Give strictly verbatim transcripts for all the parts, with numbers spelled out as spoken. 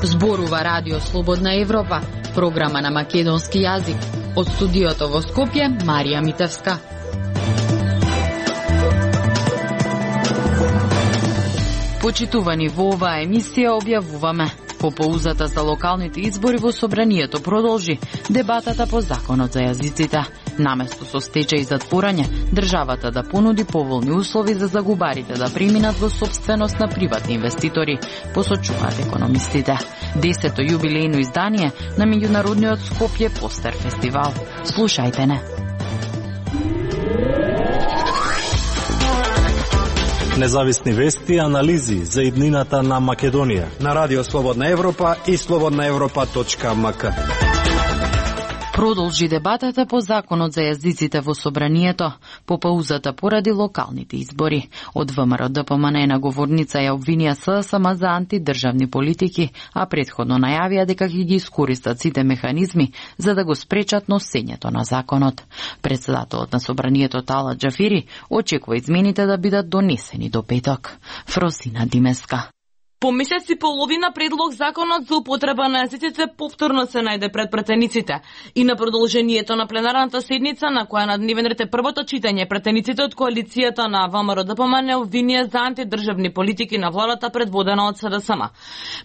Зборува Радио Слободна Европа, програма на македонски јазик. Од студиото во Скопје, Марија Митевска. Почитувани, во оваа емисија објавуваме: по поузата за локалните избори во Собранието продолжи дебатата по законот за јазиците. Наместо со стечај и затворање, државата да понуди поволни услови за загубарите да преминат во сопственост на приватни инвеститори, посочуваат економистите. Десето јубилејно издание на меѓународниот Скопје Постер фестивал. Слушајте не. Независни вести и анализи за иднината на Македонија на Радио Слободна Европа и слободна европа точка ем ка. Продолжи дебатата по законот за јазиците во Собранието, по паузата поради локалните избори. Од ВМРО Д П М Н на говорница ја обвинија С С М за антидржавни политики, а предходно најавија дека ќе ги искористат сите механизми за да го спречат носењето на законот. Председателот на Собранието Талат Џафири очекува измените да бидат донесени до петок. Фросина Димеска. По месец и половина предлог законот за употреба на јазиците повторно се најде пред претениците и на продолжението на пленарната седница на која на дневен ред е првото читање, претениците од коалицијата на ВМРО Д П М Н обвинија за антидржавни политики на владата предводена од С Д С М.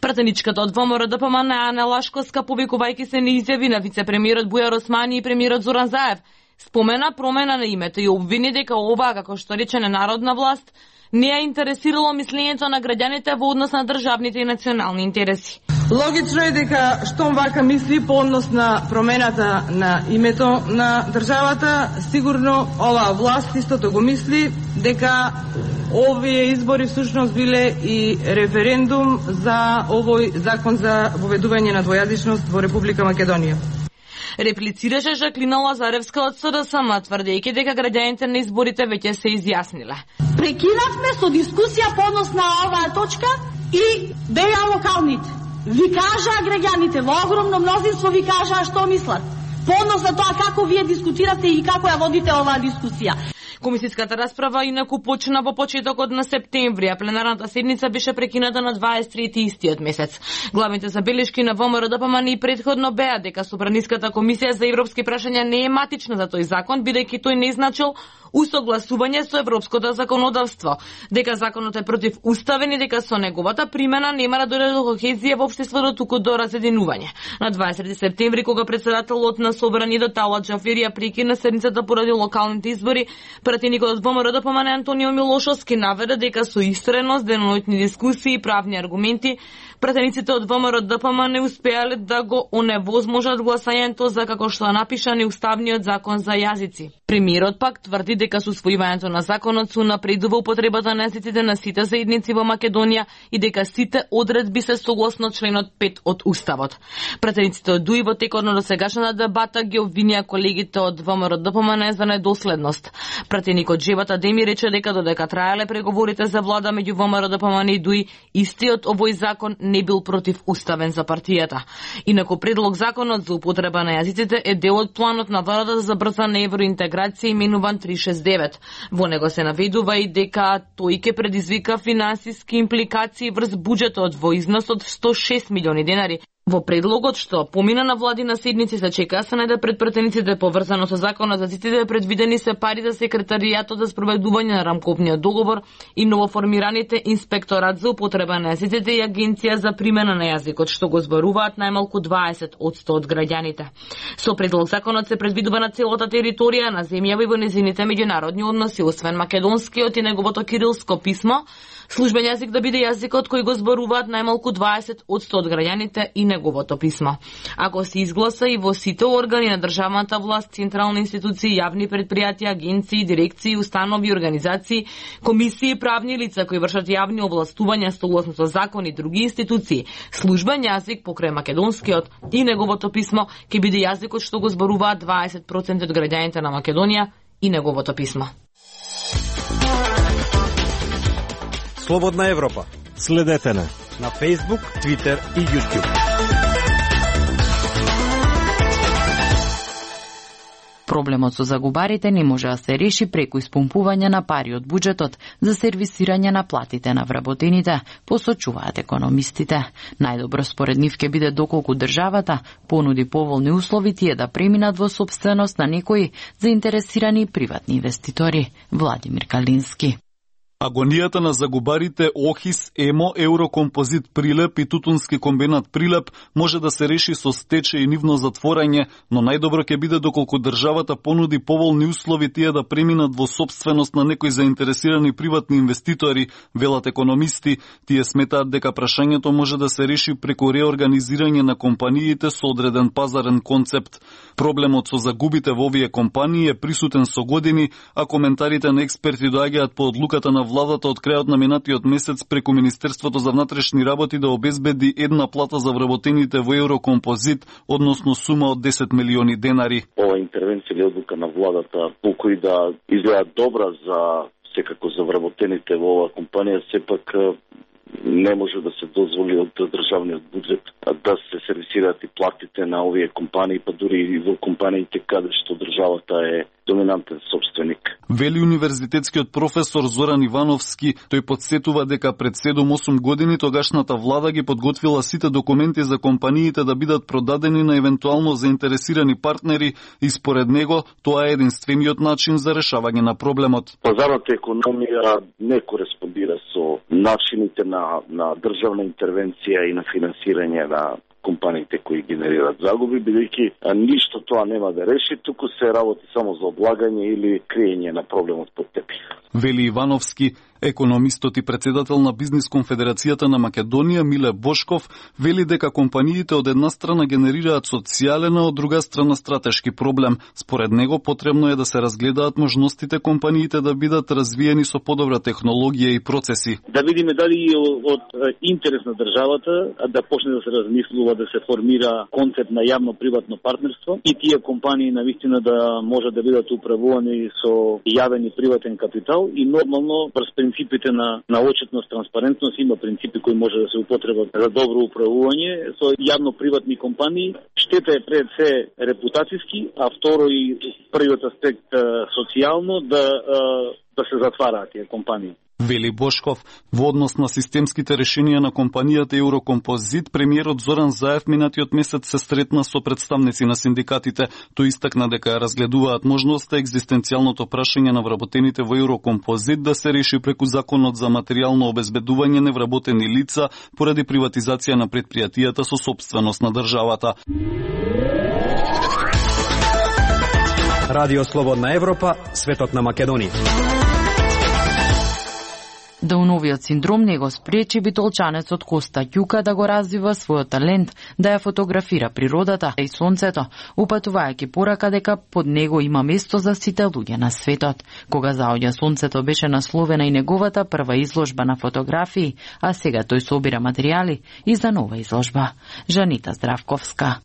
Претеничката од ВМРО Д П М Н Ана Лашковска, повикувајќи се на изјави на вице-премиерот Бујар Османи и премиерот Зоран Заев, спомена промена на името и обвини дека ова, како што рече, ненародна власт не ја интересирало мислењето на граѓаните во однос на државните и национални интереси. Логично е дека штом вака мисли по однос на промената на името на државата, сигурно оваа власт истото го мисли дека овие избори всушност биле и референдум за овој закон за воведување на двојазичност во Република Македонија. Реплицираше Жаклина Лазаревска од С Д С М, тврдејќи дека граѓаните на изборите веќе се изјасниле. Прекинавме со дискусија по однос на оваа точка и беа локалните. Ви кажаа граѓаните, во огромно мнозинство ви кажаа што мислат. По однос на тоа како вие дискутирате и како ја водите оваа дискусија. Комисиската расправа инаку почна во почетокот на септември, а пленарната седница беше прекината на дваесет и трети истиот месец. Главните забелешки на ВМРО Д П М Н и предходно беа дека Собраниската комисија за европски прашања не е матична за тој закон, бидејќи тој не значил усогласување со европското законодавство, дека законот е противуставен и дека со неговата примена нема да дојде до кохезија во општеството, туку до разединување. На дваесет и трети септември, кога председателот на Собранието Талат Џафири ја прекина седницата поради локалните избори, пратеникот од ВМРО Д П М Н Антонио Милошовски наведе дека со истреност, деноноќни дискусии и правни аргументи, пратениците од ВМРО Д П М не успеале да го оневозможат гласањето за, како што напиша, неуставниот закон за јазици. Премиерот пак тврди дека со усвојувањето на законот се напредува употребата на јазиците на сите заедници во Македонија и дека сите одредби се согласно членот пет од Уставот. Пратениците од ДУИ во текот на досегашната дебата ги обвинија колегите од ВМРО Д П М Н за недоследност. Пратеникот Джевата Деми рече дека додека траеле преговорите за влада меѓу ВМРО Д П М Н и ДУИ, истиот овој закон не бил противуставен за партијата. Инаку предлог законот за употреба на јазиците е дел од планот на владата за брзана евроинтеграција именуван триста шест девет. Во него се наведува и дека тој ќе предизвика финансиски импликации врз буџетот во износ од сто и шест милиони денари. Во предлогот што помина на владина седници се чека се најде пред претениците поврзано со законот за јазиците, предвидени се пари за секретаријатот за спроведување на рамковниот договор и новоформираните инспекторат за употреба на јазиците и агенција за примена на јазикот, што го зборуваат најмалку дваесет одсто од граѓаните. Со предлог законот се предвидува на целата територија на земјава и во незините меѓународни односи, освен македонскиот и неговото кирилско писмо, службен јазик да биде јазикот кој го зборуваат најмалку дваесет одсто од граѓаните и неговото писмо. Ако се изгласа и во сите органи на државната власт, централни институции, јавни предпријатија, агенции, дирекции, установи, организации, комисии, правни лица кои вршат јавни овластувања согласно со закон и други институции, службен јазик покрај македонскиот и неговото писмо ќе биде јазикот што го зборуваат дваесет проценти од граѓаните на Македонија и неговото писмо. Слободна Европа. Следете на на Facebook, Twitter и YouTube. Проблемот со загубарите не може да се реши преку испумпување на пари од буџетот за сервисирање на платите на вработените, посочуваат економистите. Најдобро според нив ќе биде доколку државата понуди поволни услови тие да преминат во сопственост на некои заинтересирани приватни инвеститори. Владимир Калински. Агонијата на загубарите Охис, Емо, Еврокомпозит Прилеп и Тутунски комбинат Прилеп може да се реши со стечај и нивно затворање, но најдобро ќе биде доколку државата понуди поволни услови тие да преминат во сопственост на некои заинтересирани приватни инвеститори, велат економисти. Тие сметаат дека прашањето може да се реши преку реорганизирање на компаниите со одреден пазарен концепт. Проблемот со загубите во овие компании е присутен со години, а коментарите на експерти доаѓаат по одлуката на владата од крајот на минатиот месец преку Министерството за внатрешни работи да обезбеди една плата за вработените во Еврокомпозит, односно сума од десет милиони денари. Ова интервенција или одлука на владата, колку и да изгледа добра за секако за вработените во оваа компанија, сепак не може да се дозволи од државниот буџет да се сервисираат и платите на овие компании, па дури и во компаниите каде што државата е доминантен собственик. Вели универзитетскиот професор Зоран Ивановски, тој подсетува дека пред седум-осум години тогашната влада ги подготвила сите документи за компаниите да бидат продадени на евентуално заинтересирани партнери и според него тоа е единствениот начин за решавање на проблемот. Пазарната економија не кореспондира со начините на, на државна интервенција и на финансирање на компаниите кои генерираат загуби, бидејќи ништо тоа нема да реши, туку се работи само за облагање или криење на проблемот под тепих. Вели Ивановски, економистот и председател на Бизнис конфедерацијата на Македонија Миле Бошков, вели дека компаниите од една страна генерираат социјален, а од друга страна стратешки проблем. Според него потребно е да се разгледаат можностите компаниите да бидат развиени со подобра технологија и процеси. Да видиме дали е од интерес на државата да почне да се размислува да се формира концепт на јавно-приватно партнерство и тие компании навистина да може да бидат управувани со јавен и приватен капитал и нормално през принципите на, на отчетност, транспарентност, има принципи кои може да се употребат за добро управување со јавно-приватни компании. Штета е пред се репутацијски, а второ и првиот аспект социјално да, да се затвараат тие компании. Вели Бошков, во однос на системските решенија на компанијата Еврокомпозит, премиерот Зоран Заев минатиот месец се сретна со представници на синдикатите. Тој истакна дека разгледуваат можноста екзистенцијалното прашање на вработените во Еврокомпозит да се реши преку законот за материјално обезбедување невработени лица поради приватизација на предпријатијата со сопственост на државата. Радио Слободна Европа, светот на Македонија. Дауновиот синдром не го спречи битолчанецот Коста Ќука да го развива својот талент да ја фотографира природата и сонцето, упатувајќи порака дека под него има место за сите луѓе на светот. Кога заоѓа сонцето беше насловена и неговата прва изложба на фотографии, а сега тој собира материјали и за нова изложба. Жанита Здравковска.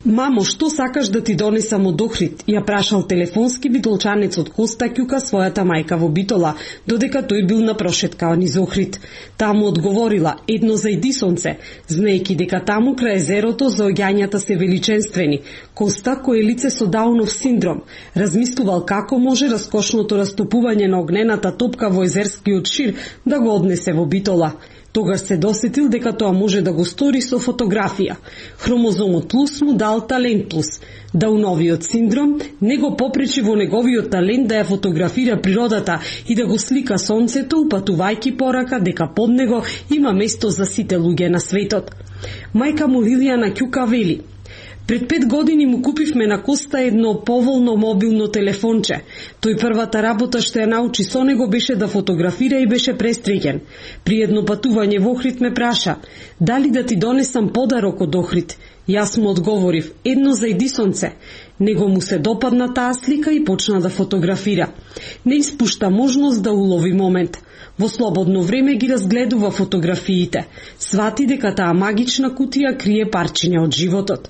Мамо, што сакаш да ти донесам од Охрид? Ја прашал телефонски битолчанецот Коста Ќука својата мајка во Битола, додека тој бил на прошетка низ Охрид. Таму одговорила, едно зајди сонце, знаејќи дека таму крај езерото заоѓањата се величенствени. Коста, кој е лице со Даунов синдром, размислувал како може раскошното растопување на огнената топка во езерскиот шир да го однесе во Битола. Тогаш се досетил дека тоа може да го стори со фотографија. Хромозомот плюс му дал талент плюс. Дауновиот синдром не го попречи во неговиот талент да ја фотографира природата и да го слика сонцето, упатувајќи порака дека под него има место за сите луѓе на светот. Мајка му Лилијана Ќука вели: пред пет години му купивме на Коста едно поволно мобилно телефонче. Тој првата работа што ја научи со него беше да фотографира и беше престреген. При едно патување во Охрид ме праша: дали да ти донесам подарок од Охрид? Јас му одговорив: едно зајди сонце. Него му се допадна таа слика и почна да фотографира. Не испушта можност да улови момент. Во слободно време ги разгледува фотографиите. Свати дека таа магична кутија крие парчиња од животот.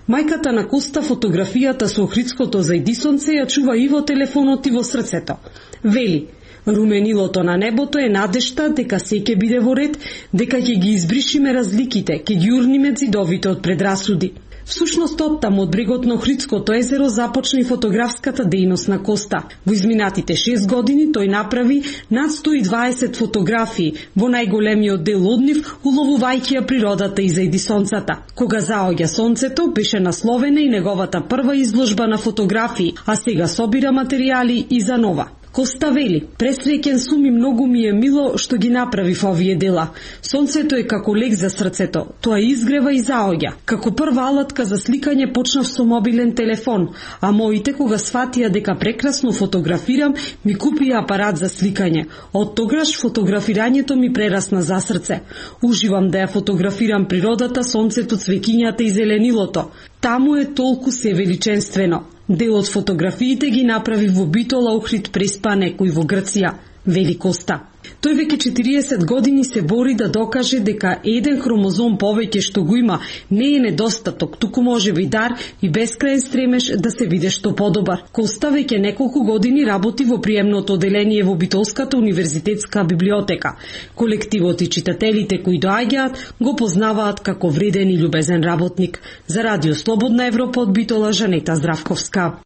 Мајката на Коста фотографијата со охридското зајди сонце ја чува и во телефонот и во срцето. Вели: руменилото на небото е надежта дека се ќе биде во ред, дека ќе ги избришиме разликите, ќе ги урниме ѕидовите од предрасуди. Всушност, оттаму од брегот на Охридското езеро започна и фотографската дејност на Коста. Во изминатите шест години тој направи над сто и дваесет фотографии, во најголемиот дел од нив уловувајќи ја природата и зајди сонцата. Кога заоѓа сонцето, беше насловена и неговата прва изложба на фотографии, а сега собира материјали и за нова. Коста вели: "Пресреќен сум и многу ми е мило што ги направив овие дела. Сонцето е како лек за срцето, тоа изгрева и заоѓа. Како прва алатка за сликање почнав со мобилен телефон, а моите кога сватија дека прекрасно фотографирам, ми купија апарат за сликање. Од тогаш фотографирањето ми прерасна за срце. Уживам да ја фотографирам природата, сонцето, цвеќињата и зеленилото. Таму е толку се величенствено. Дел од фотографиите ги направи во Битола, Охрид, Преспа, некој во Грција", вели Коста. Тој веќе четириесет години се бори да докаже дека еден хромозом повеќе што го има не е недостаток, туку може би дар и бескрајен стремеж да се биде што подобар. Коста веќе неколку години работи во приемното оделение во Битолската универзитетска библиотека. Колективот и читателите кои доаѓаат го познаваат како вреден и љубезен работник. За Радио Слободна Европа од Битола, Жанета Здравковска.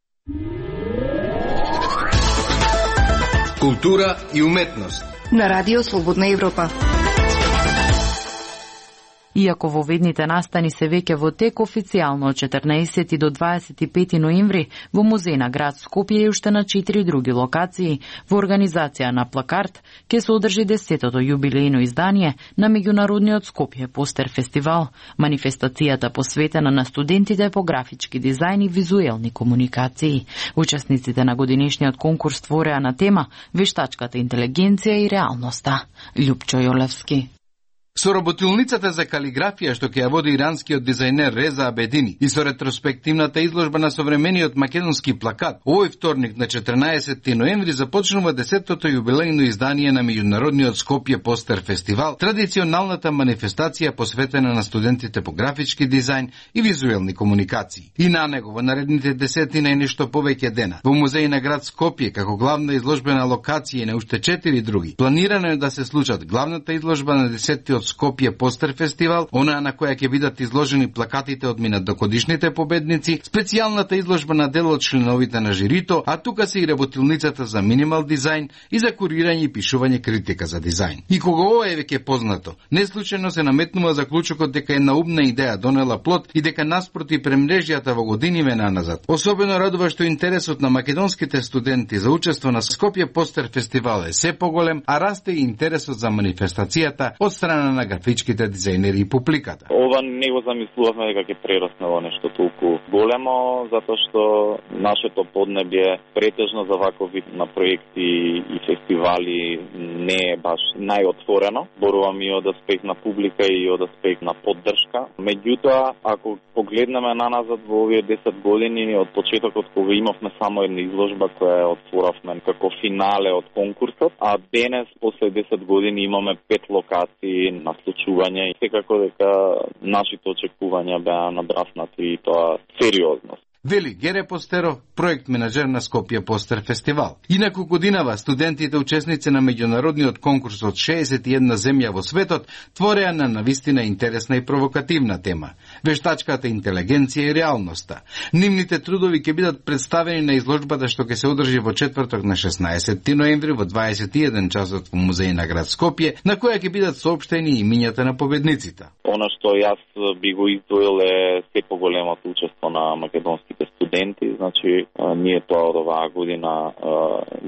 Култура и уметност на Радио Слободна Европа. Иако во ведните настани се веќе во тек, официјално од четрнаесети до дваесет и пети ноември во музеј на град Скопје и уште на четири други локации во организација на Плакарт ќе се одржи десетото јубилејно издание на меѓународниот Скопје Постер фестивал, манифестацијата посветена на студентите по графички дизајн и визуелни комуникации. Учесниците на годинешниот конкурс твореа на тема вештачката интелигенција и реалноста. Љупчо Јолевски. Со работилницата за калиграфија што ќе ја води иранскиот дизајнер Реза Абедини и со ретроспективната изложба на современиот македонски плакат, овој вторник на четрнаесети ноември започнува десетото јубилејно издание на меѓународниот Скопје Постер фестивал, традиционалната манифестација посветена на студентите по графички дизајн и визуелни комуникации. И на него во наредните десетина и нешто повеќе дена во музеј на град Скопје како главна изложбена локација и на уште четири други. Планирано е да се случат главната изложба на десетиот Скопје Постер фестивал, онаа на која ќе бидат изложени плакатите од минатогодишните победници, специјалната изложба на дел од членовите на жирито, а тука се и работилницата за минимал дизајн и за курирање и пишување критика за дизајн. И кога ова е веќе познато, неслучајно се наметнува заклучокот дека една умна идеја донела плод и дека наспроти премрежјата во годиниве наназад. Особено радува што интересот на македонските студенти за учество на Скопје Постер фестивал е се поголем, а расте и интересот за манифестацијата од страна на графичките дизајнери и публиката. Ова не го замислувавме дека ќе прерасне во нешто толку големо, затоа што нашето поднебје претежно за ваков вид на проекти и фестивали не е баш најотворено. Борувам и од аспект на публика и од аспект на поддршка. Меѓутоа, ако погледнеме наназад во овие десет години од почетокот кога имавме само една изложба која ја отворавме како финале од конкурсот, а денес после десет години имаме пет локации на случување и секако дека нашите очекувања беа надраснати и тоа сериозно. Вели Гере Постеров, проект менаџер на Скопје Постер фестивал. Инаку годинава студентите учесници на меѓународниот конкурс од шеесет и една земја во светот твореа на навистина интересна и провокативна тема – вештачката интелигенција и реалноста. Нивните трудови ќе бидат представени на изложбата што ќе се одржи во четврток на шеснаесети ноември во дваесет и еден часот во музеј на град Скопје, на која ќе бидат соопштени имињата на победниците. Она што јас би го издвоил е се поголемото учество на македонските студенти, значи ние тоа од оваа година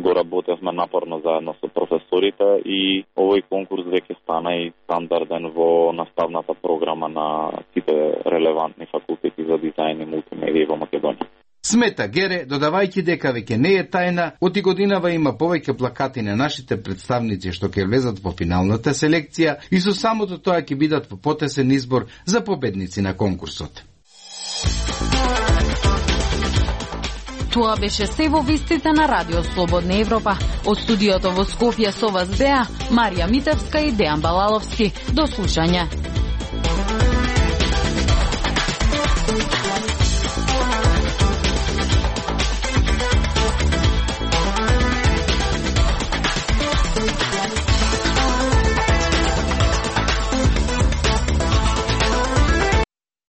го работевме напорно заедно со професорите и овој конкурс веќе стана и стандарден во наставната програма на сите релевантни факултети за дизајн и мултимедија во Македонија. Смета Гере, додавајќи дека веќе не е тајна, оти годинава има повеќе плакати на нашите представници што ќе влезат во финалната селекција и со самото тоа ќе бидат во потесен избор за победници на конкурсот. Тоа беше се во вестите на Радио Слободна Европа. Од студиото во Скопје со вас беа Марија Митевска и Дејан Балаловски. До слушање.